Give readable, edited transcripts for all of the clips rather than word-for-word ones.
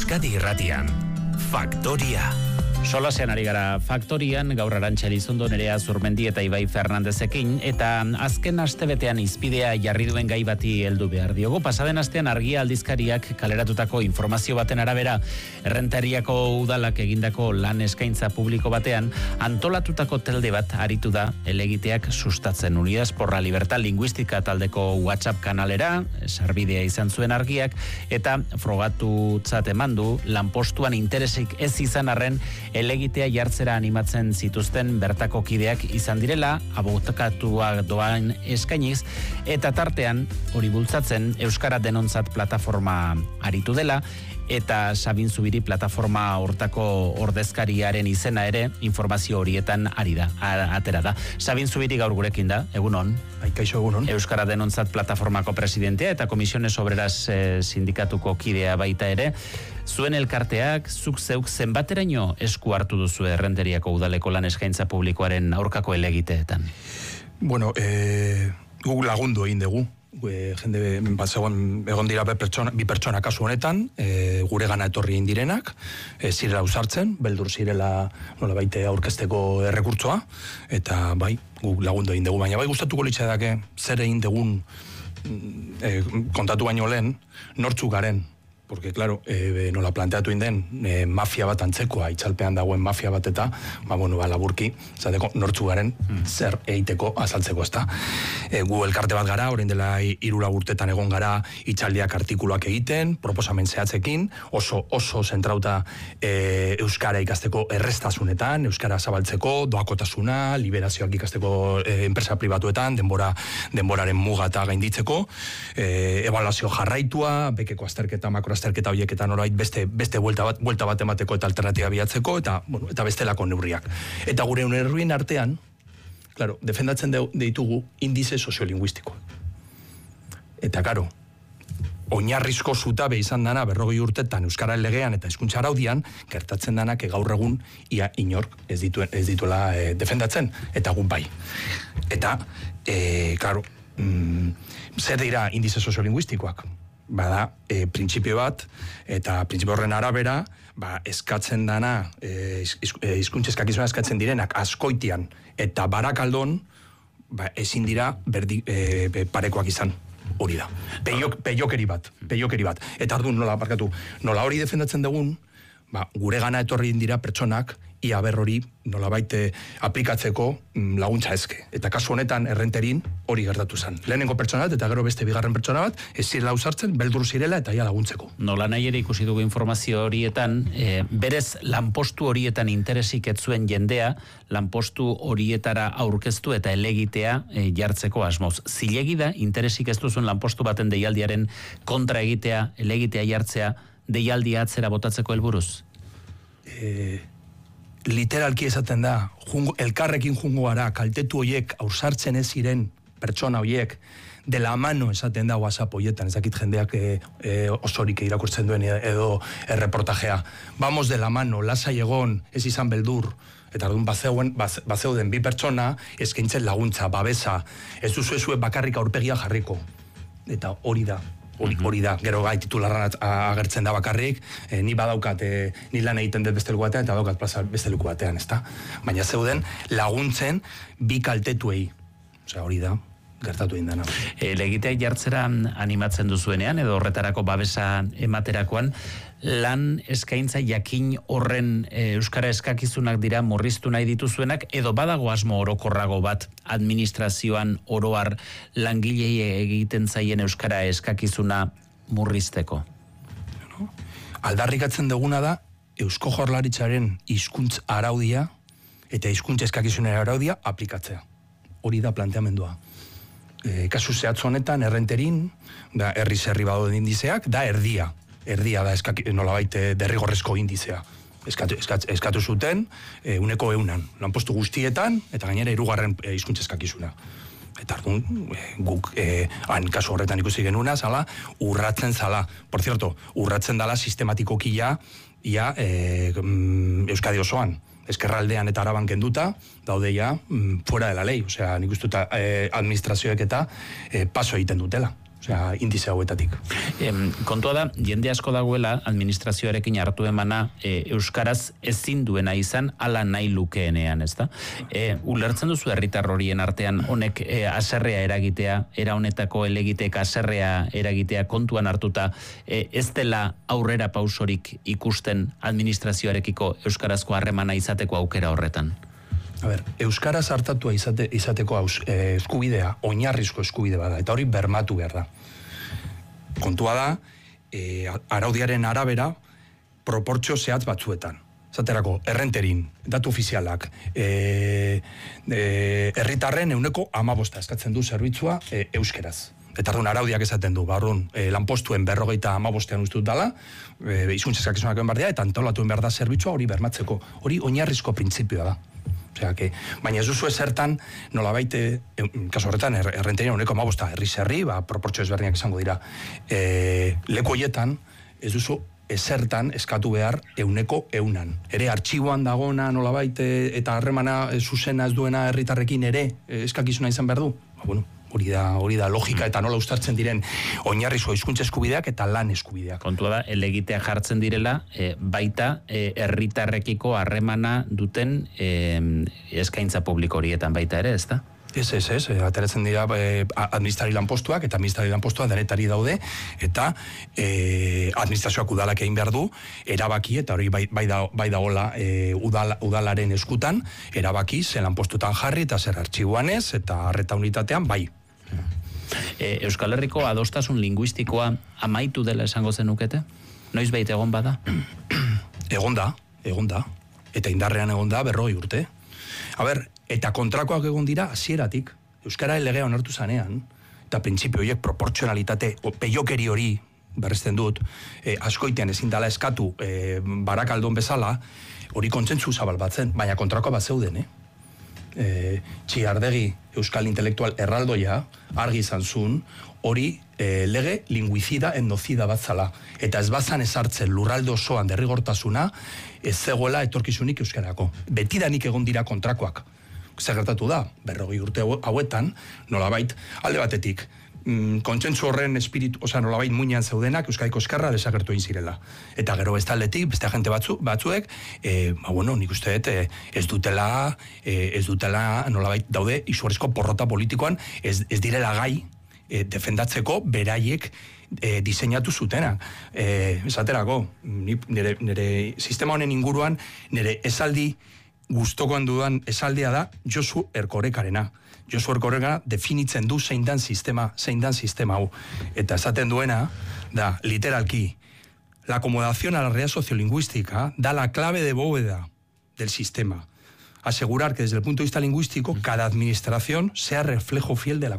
Euskadi Irratian, Faktoria. Solasean ari gara Faktorian, gaur Arantxa Elizondo, Nerea Zurmendi eta Ibai Fernandezekin, eta azken astebetean izpidea jarri duen gai bati heldu behar diogu. Pasaden astean Argia aldizkariak kaleratutako informazio baten arabera, Errentariako udalak egindako lan eskaintza publiko batean, antolatutako telde bat aritu da helegiteak sustatzen. Unidas por la Libertad Lingüística taldeko WhatsApp kanalera, sarbidea izan zuen Argiak, eta frogatutzat eman du lanpostuan interesik ez izan arren helegitea jartzera animatzen zituzten bertako kideak izan direla, abokatuak doan eskainiz, eta tartean hori bultzatzen Euskara Denontzat plataforma aritu dela, eta Sabin Zubiri plataforma hortako ordezkariaren izena ere informazio horietan ari da, atera da. Sabin Zubiri gaur gurekin da, egunon. Kaixo, egunon. Euskara Denontzat plataformako presidentea eta Komisiones Obreras sindikatuko kidea baita ere. Zuen elkarteak, zuk zeuk zenbateraino esku hartu duzu Errenteriako udaleko lan eskaintza publikoaren aurkako helegiteetan? Bueno, guk lagundu egin dugu. Jende egon dira bi pertsona kasu honetan, gure gana etorri indirenak, zirela usartzen, beldur zirela nolabait aurkezteko errekurtsoa, eta bai, guk lagundu egin dugu, baina bai gustatuko litzaidake zer egin dugun kontatu baino lehen, nortzuk garen. Porque, claro, nola planteatu inden, mafia bat antzekoa, itzalpean dagoen mafia bat eta, laburki, zateko, nortzu garen, zer egiteko azaltzeko, ezta. Gu elkarte bat gara, orain dela 3 urtetan egon gara, itzaldiak artikuluak egiten, proposamen zehatzekin, oso zentrauta Euskara ikasteko errestasunetan, Euskara zabaltzeko, doakotasuna, liberazioak ikasteko enpresa pribatuetan, denboraren muga eta gainditzeko, ebaluazio jarraitua, bekeko azterketa, azterketa horiek eta norbait beste buelta bat emateko eta alternatiba bilatzeko eta bestelako neurriak. Eta gure neurrien artean, claro, defendatzen ditugu indize soziolinguistikoa. Eta claro, oinarrizko zutabe izan dana 40 urtetan Euskara legean eta hizkuntza araudian gertatzen danak gaur egun ia inork ez dituela defendatzen eta guk bai. Eta claro, zer dira indize soziolinguistikoak? Bada, printzipio bat, eta printzipio horren arabera, eskatzen dana, hizkuntza eskakizuna eskatzen direnak askoitian eta barakaldon, ezin dira parekoak izan. Hori da. Peiokeri bat. Eta ardun nola hori defendatzen dugun, gure gana etorri dira pertsonak, ia hori nolabait aplikatzeko laguntza eske. Eta kasu honetan Errenterin hori gertatu zen. Lehenengo pertsona bat eta gero beste bigarren pertsona bat, ez zirela usartzen, beldur zirela eta ia laguntzeko. Nola nahi ere ikusi dugu informazio horietan, berez lanpostu horietan interesik ez zuen jendea, lanpostu horietara aurkeztu eta helegitea jartzeko asmoz. Zilegi da, interesik ez duzun lanpostu baten deialdiaren kontra egitea, helegitea jartzea, deialdia atzera botatzeko helburuz? Literalki esaten da, elkarrekin jungo gara, kaltetu horiek aursartzen ez ziren pertsona horiek, de la mano esaten da WhatsApp horietan, ez dakit jendeak osorik irakurtzen duen edo erreportajea. Vamos de la mano, lasai egon, ez izan beldur, eta orduan bazeuden bi pertsona, eskaintzen laguntza, babesa, ez duzue bakarrik aurpegia jarriko. Eta hori da. Hori da, gero gai titularran agertzen da bakarrik, ni badaukat, ni lan egiten dut beste leku batean, eta daukat plaza beste leku batean, ezta? Baina zeuden laguntzen bi kaltetuei. Osea, hori da, gertatu indana. Helegitea jartzera animatzen duzuenean, edo horretarako babesa ematerakoan, lan eskaintza jakin horren Euskara eskakizunak dira murriztu nahi dituzuenak, edo badago asmo orokorrago bat administrazioan oroar langilei egiten zaien Euskara eskakizuna murrizteko? Aldarrikatzen duguna da Eusko Jaurlaritzaren hizkuntz araudia eta hizkuntza eskakizunaren araudia aplikatzea. Hori da planteamendua. Kasu zehatz honetan Errenterin, da herri badaude indizeak, da erdia da nolabait derrigorrezko indizea. Eskatu zuten, 100%, lanpostu guztietan, eta gainera 3. hizkuntza eskakizuna. Eta ardun, guk han kasu horretan ikusi genuna, zala, urratzen zala. Por cierto, urratzen dala sistematikoki ia Euskadi osoan. Ezkerraldean eta Araban kenduta, daude ja fuera de la lei. Osea, nik uste administrazioek eta paso egiten dutela. osea, indize hauetatik. Kontua da, jende asko dagoela administrazioarekin hartu emana euskaraz ezin duena izan ala nahi lukeenean, ezta? Ulertzen duzu herritar horien artean honek haserrea eragitea, era honetako elegitek haserrea eragitea kontuan hartuta, ez dela aurrera pausorik ikusten administrazioarekiko euskarazko harremana izateko aukera horretan? A ber, euskaraz hartatua izateko eskubidea, oinarrizko eskubide bada, eta hori bermatu behar da. Kontua da, araudiaren arabera, proportzio zehatz batzuetan. Zaterako, errenterin, datu ofizialak, herritarren 15% eskatzen du zerbitzua euskeraz. Eta arduan araudiak esaten du, lanpostuen 55%an ustut dala, hizkuntza eskakizunak egin behar dira, eta antolatuen behar da zerbitzua hori bermatzeko. Hori oinarrizko printzipioa da. Baina ez duzu ezertan, nolabait, kasu horretan, errenterien 15%, herri-zerri, proportzio ezberdinak izango dira. Leku horietan, ez duzu ezertan eskatu behar 100%. Ere, artxiboan dagona nolabait, eta harremana zuzena ez duena herritarrekin ere eskakizuna izan behar du. Hori da logika eta nola uztartzen diren oinarrizko hizkuntza eskubideak eta lan eskubideak. Kontua da, elegitea jartzen direla, baita herritarrekiko harremana duten eskaintza publiko horietan baita ere, ez da? Ez, ateratzen dira administrari lanpostuak, eta administrari lanpostuak denetari daude, eta administrazioak udalak egin behar du, erabaki, eta hori bai dagoela udalaren eskutan, erabaki, ze lanpostutan jarri, eta zer artxiboan ez, eta arreta unitatean, bai. Euskal Herriko adostasun linguistikoa amaitu dela esango zenukete? Noiz bait egon bada? Egon da. Eta indarrean egon da 40 urte. A ber, eta kontrakoak egon dira hasieratik. Euskara legea onartu zanean, eta printzipio horiek proportzionalitate, peiokeri hori, berresten dut, askoitean ezin dela eskatu Barakaldon bezala, hori kontzentzu zabal batzen, baina kontrakoa bat zeuden, Txiardegi euskal intelektual erraldoia, argi izan zuen, hori lege linguizida endozida bat zala. Eta ez bazan ezartzen lurralde osoan derrigortasuna, ez zegoela etorkizunik euskarako. Betidanik egon dira kontrakoak. Zer gertatu da, 40 urte hauetan, nolabait, alde batetik, kontsentsu horren espiritu, nolabait muinean zeudenak Euskadiko eskarra desagertu egin zirela. Eta gero bestaldetik, beste agente batzuek, nik uste ez dutela nolabait daude izugarrizko porrota politikoan, ez direla gai defendatzeko beraiek diseinatu zutena. Esaterako, nire sistema honen inguruan, nire esaldi gustokoan dudan esaldia da Josu Erkorekarena. Josu Erkoreka definitzen du zein dan sistema hau. Eta esaten duena da, literalki, la acomodación a la realidad sociolingüística da la clave de bóveda del sistema. Asegurar que desde el punto de vista lingüístico cada administración sea reflejo fiel de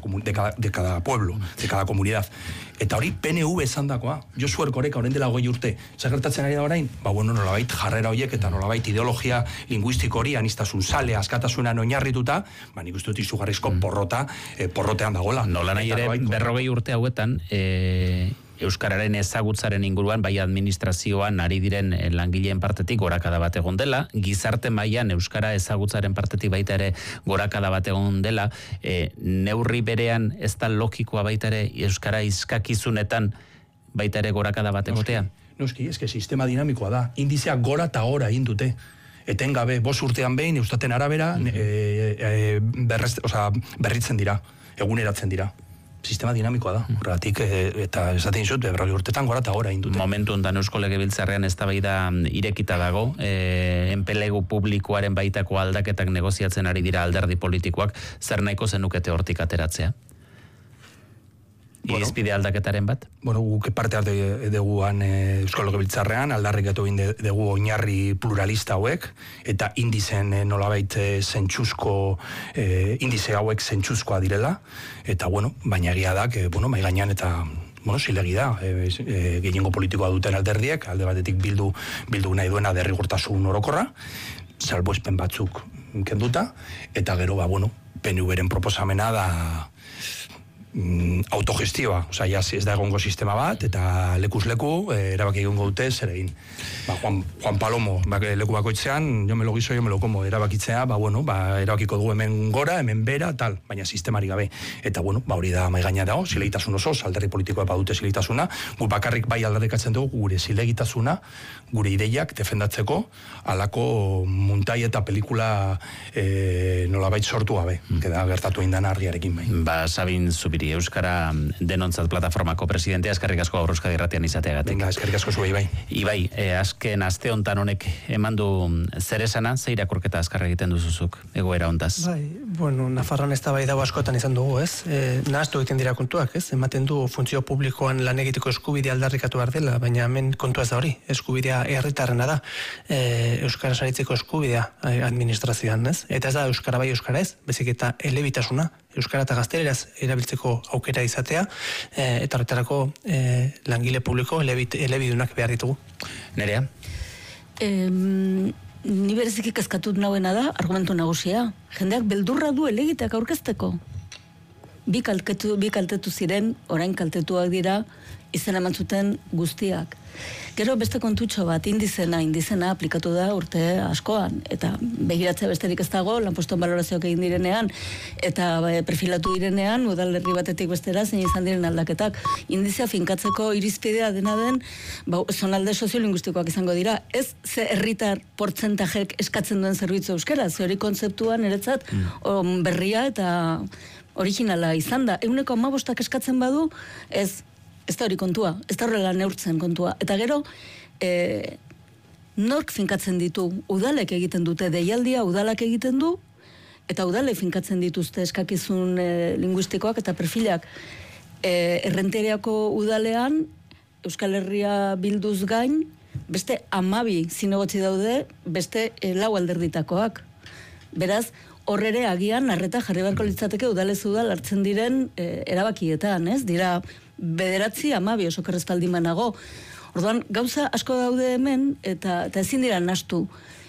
cada pueblo, de cada comunidad. Eta hori PNV esan dakoa. Josu Erkoreka orain dela 20 urte. Zer gertatzen ari da orain? Nolabait jarrera horiek eta nolabait ideologia lingüistiko hori anistasun sale, askatasunan oinarrituta, nik uste dut izugarrizko porrotean dagoela. Nola nahi ere, 40 urte hauetan, euskararen ezagutzaren inguruan, bai administrazioan ari diren langileen partetik gorakada bat egon dela, gizarte mailan euskara ezagutzaren partetik baita ere gorakada bat egon dela, neurri berean ez da logikoa baita ere euskara izkakizunetan baita ere gorakada bat egotea? Noski, eske sistema dinamikoa da, indizeak gora eta gora egin dute. Etengabe, 5 urtean behin, eustaten arabera, berritzen dira, eguneratzen dira. Sistema dinamikoa da, horregatik, eta esaten dizut, 40 urtetan gora eta gora indute. Momentu ondan Eusko Legebiltzarrean eztabaida irekita dago, enplegu publikoaren baitako aldaketak negoziatzen ari dira alderdi politikoak, zer nahiko zenukete hortik ateratzea? Irizpide aldaketaren bat? Guk parte hartu duguan Eusko Legebiltzarrean, aldarrikatu egin dugu oinarri pluralista hauek, eta indizen nolabait zentsuzko, indize hauek zentsuzkoa direla, eta baina egia da, mai gainean eta zilegi da, gehiengo politikoa duten alderdiek, alde batetik bildu nahi duena derrigortasun orokorra, salbuespen batzuk kenduta, eta gero, PNV-ren proposamena da autogestioa, osea, ez da egongo sistema bat, eta lekuz leku, erabaki egongo dute zer egin. Juan Palomo, leku bakoitzean, yo me lo guiso, yo me lo como, erabakitzea, erabakiko dugu hemen gora, hemen bera, tal, baina sistemari gabe. Eta, hori da maigaina dago, zilegitasun oso, alderdi politikoa badute zilegitasuna, gu bakarrik bai aldarrikatzen dugu gure zilegitasuna, gure ideiak defendatzeko, alako muntai eta pelikula nolabait sortu gabe, gertatu indan argiarekin bai. Sabin Zubiri, Euskara Denontzat Plataformako presidentea, eskerrik asko gaur Euskadi Irratian izateagatik. Eskerrik asko zuei bai. Ibai, azken aste hontan honek emandu zer esana, ze irakurketa azkar egiten duzuzuk, egoera hontaz? Nafarroan ez da bai dago askotan izan dugu, ez? Nahaztu egiten dira kontuak, ez? Ematen du funtzio publikoan lan egiteko eskubidea aldarrikatu behar dela, baina hemen kontua ez da hori, eskubidea herritarrena da, Euskara saritzeko eskubidea administrazioan, ez? Eta ez da Euskara bai Euskara ez, bezik eta elebitasuna, Euskara eta gazteleraz erabiltzeko aukera izatea, eta horretarako langile publiko elebidunak behar ditugu. Nerea? Ni bereziki kezkatut nauena da, argumentu nagusia. Jendeak beldurra du elegiteak aurkezteko. Bi kaltetu ziren, orain kaltetuak dira, izena eman zuten guztiak. Gero beste kontutxo bat, indizena aplikatu da urte askoan, eta begiratzea besterik ez dago, lanpostuan balorazioak egin direnean, eta perfilatu direnean, udalerri batetik bestera, zein izan diren aldaketak. Indizea finkatzeko irizpidea dena den, zonalde soziolinguistikoak izango dira, ez ze herritar portzentajek eskatzen duen zerbitzu euskera, ze hori kontzeptuan eretzat berria eta originala izan da. 15% eskatzen badu, ez da hori kontua, ez da horrela neurtzen kontua. Eta gero, nork finkatzen ditu, udalek egiten dute, deialdia udalak egiten du, eta udalek finkatzen dituzte eskakizun linguistikoak eta perfilak. Errenteriako udalean, Euskal Herria bilduz gain, beste 12 zinegotzi daude, beste 4 alderditakoak. Beraz, horrere agian, arreta jarri beharko litzateke udalez udal hartzen diren erabakietan, ez? Dira, 9-12 oso kerrezpaldi manago. Orduan, gauza asko daude hemen, eta ezin dira nahastu.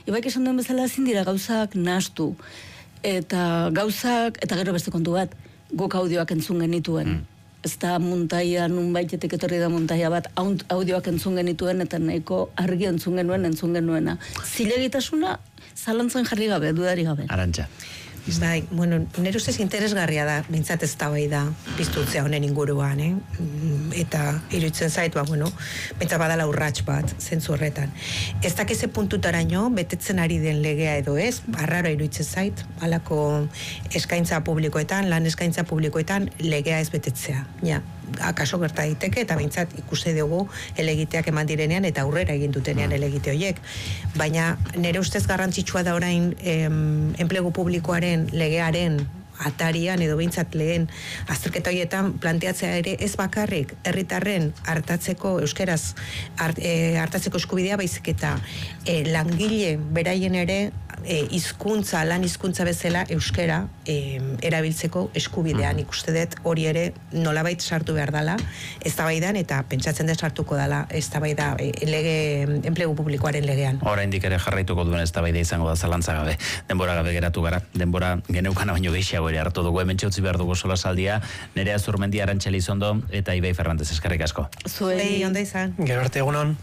Ibaik esan duen bezala, ezin dira gauzak nahastu. Eta gauzak, eta gero beste kontu bat, guk audioak entzun genituen. Ez da muntaia, nunbaitetik etorri da muntaia bat, audioak entzun genituen, eta nahiko argi entzun genuena. Zilegitasuna, zalantzen jarri gabe, dudari gabe. Arantxa. Bai, nire ustez interesgarria da, bintzat ez da bai da, piztutzea honen inguruan, eta iruditzen zait, bintzat badala urrats bat, zentzu horretan. Ez dakize puntutaraino, betetzen ari den legea edo ez, arraro iruditzen zait, alako eskaintza publikoetan, lan eskaintza publikoetan, legea ez betetzea, ja. Akaso gerta daiteke eta bintzat ikuste dugu elegiteak eman direnean eta aurrera egin dutenean elegite horiek. Baina nire ustez garrantzitsua da orain enplegu publikoaren legearen atarian edo bintzat lehen azterketa horietan planteatzea ere ez bakarrik herritarren hartatzeko euskeraz hartatzeko eskubidea baizik eta langile beraien ere lan hizkuntza bezala euskera erabiltzeko eskubidean ikuste dut hori ere nolabait sartu behar dela eztabaidan eta pentsatzen dut sartuko dela eztabaida enplegu publikoaren legean. Oraindik ere jarraituko duen eztabaida izango da zalantza gabe. Denbora gabe geratu gara. Denbora geneukana baino gehiago ere hartu dugu hemen utzi behar dugu solasaldia. Nerea Zurmendi, Arantxa Elizondo eta Ibai Fernandez eskerrik asko. Zuei ondo izan. Gero arte egunon.